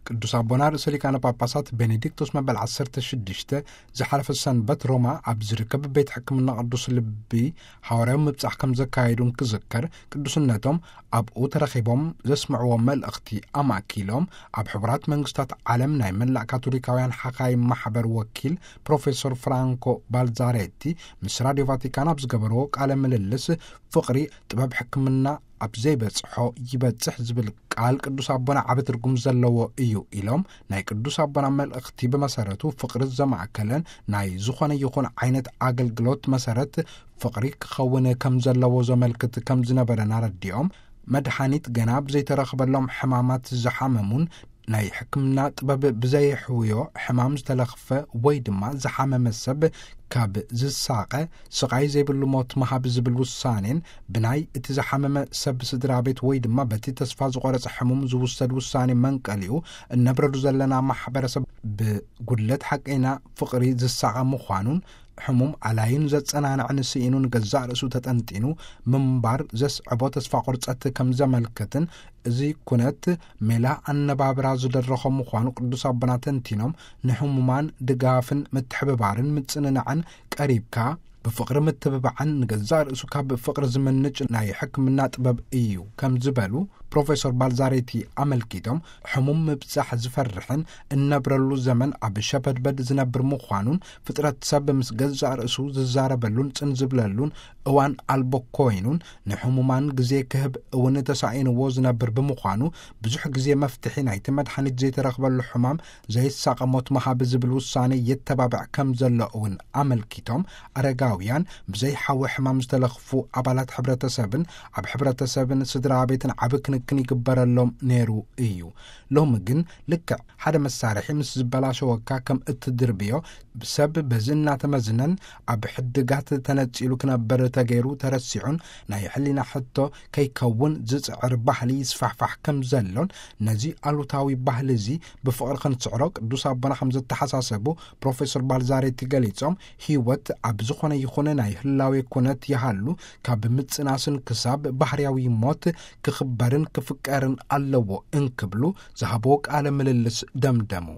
ቅዱስ ኣቦና ርእሰ ሊቃነ ጳጳሳት ቤኔዲክቶስ መበል ዓሰርተ ሽዱሽተ ዝሓለፈ ሰንበት ሮማ ኣብ ዝርከብ ቤት ሕክምና ቅዱስ ልቢ ሓዋርያዊ ምብጻሕ ከም ዘካየዱን ክዝከር፣ ቅዱስነቶም ኣብኡ ተረኺቦም ዘስምዕዎ መልእኽቲ ኣማእኪሎም፣ ኣብ ሕቡራት መንግስታት ዓለም ናይ መላእ ካቶሊካውያን ሓኻይ ማሕበር ወኪል ፕሮፌሰር ፍራንኮ ባልዛሬቲ ምስ ራዲዮ ቫቲካን ኣብ ዝገበርዎ ቃለ ምልልስ፣ ፍቕሪ ጥበብ ሕክምና ኣብ ዘይበጽሖ ይበጽሕ ዝብል ቃል ቅዱስ ኣቦና ዓቢ ትርጉም ዘለዎ እዩ ኢሎም፣ ናይ ቅዱስ ኣቦና መልእኽቲ ብመሰረቱ ፍቕሪ ዘማእከለን ናይ ዝኾነ ይኹን ዓይነት ኣገልግሎት መሰረት ፍቕሪ ክኸውን ከም ዘለዎ ዘመልክት ከም ዝነበረን ኣረዲኦም፣ መድሓኒት ገና ብዘይተረኽበሎም ሕማማት ዝሓመሙን ናይ ሕክምና ጥበብ ብዘየሕውዮ ሕማም ዝተለኽፈ ወይ ድማ ዝሓመመ ሰብ ካብ ዝሳቐ፣ ስቓይ ዘይብሉ ሞት ምሃብ ዝብል ውሳኔን ብናይ እቲ ዝሓመመ ሰብ ስድራ ቤት ወይ ድማ በቲ ተስፋ ዝቖረጸ ሕሙም ዝውሰድ ውሳኔ መንቀሊኡ፣ እነብረሉ ዘለና ማሕበረሰብ ብጉድለት ሓቀይና ፍቕሪ ዝሳቐ ምዃኑን፣ ሕሙም ኣላይን ዘጸናንዕን ስኢኑ ንገዛእ ርእሱ ተጠንጢኑ ምንባር ዘስዕቦ ተስፋ ቁርጸት ከም ዘመልክትን፣ እዚ ኩነት ሜላ ኣነባብራ ዝደረኾ ምዃኑ ቅዱስ ኣቦና ተንቲኖም፣ ንሕሙማን ድጋፍን ምትሕብባርን ምጽንናዕን ቀሪብካ ብፍቕሪ ምትብባዕን ንገዛእ ርእሱ ካብ ፍቕሪ ዝመንጭ ናይ ሕክምና ጥበብ እዩ ከም ዝበሉ ፕሮፌሰር ባልዛሬቲ ኣመልኪቶም፣ ሕሙም ምብጻሕ ዝፈርሕን እነብረሉ ዘመን ኣብ ሸበድበድ ዝነብር ምዃኑን፣ ፍጥረት ሰብ ምስ ገዛእ ርእሱ ዝዛረበሉን ጽን ዝብለሉን እዋን ኣልቦ ኮይኑን፣ ንሕሙማን ግዜ ክህብ እውን ተሳኢንዎ ዝነብር ብምዃኑ፣ ብዙሕ ግዜ መፍትሒ ናይቲ መድሓኒት ዘይተረኽበሉ ሕማም ዘይሳቐ ሞት ምሃብ ዝብል ውሳኔ የተባብዕ ከም ዘሎ እውን ኣመልኪቶም፣ ኣረጋውያን ብዘይ ሓዊ ሕማም ዝተለኽፉ ኣባላት ሕብረተሰብን ኣብ ሕብረተሰብን ስድራ ቤትን ዓቢ ክንክን ይግበረሎም ነይሩ እዩ። ሎሚ ግን ልክዕ ሓደ መሳርሒ ምስ ዝበላሸወካ ከም እትድርብዮ፣ ሰብ በዚ እናተመዝነን ኣብ ሕድጋት ተነጺሉ ክነበር ተገይሩ ተረሲዑን፣ ናይ ሕሊና ሕቶ ከይከውን ዝጽዕር ባህሊ ይስፋሕፋሕ ከም ዘሎን፣ ነዚ ኣሉታዊ ባህሊ እዚ ብፍቕሪ ክንስዕሮ ቅዱስ ኣቦና ከም ዘተሓሳሰቡ ፕሮፌሰር ባልዛሬቲ ገሊጾም፣ ህይወት ኣብ ዝኾነ ይኹን ናይ ህላዌ ኩነት ይሃሉ፣ ካብ ምጽናስን ክሳብ ባህርያዊ ሞት ክኽበርን ክፍቀርን ኣለዎ እንክብሉ ዝሃብዎ ቃለ ምልልስ ደምደሙ።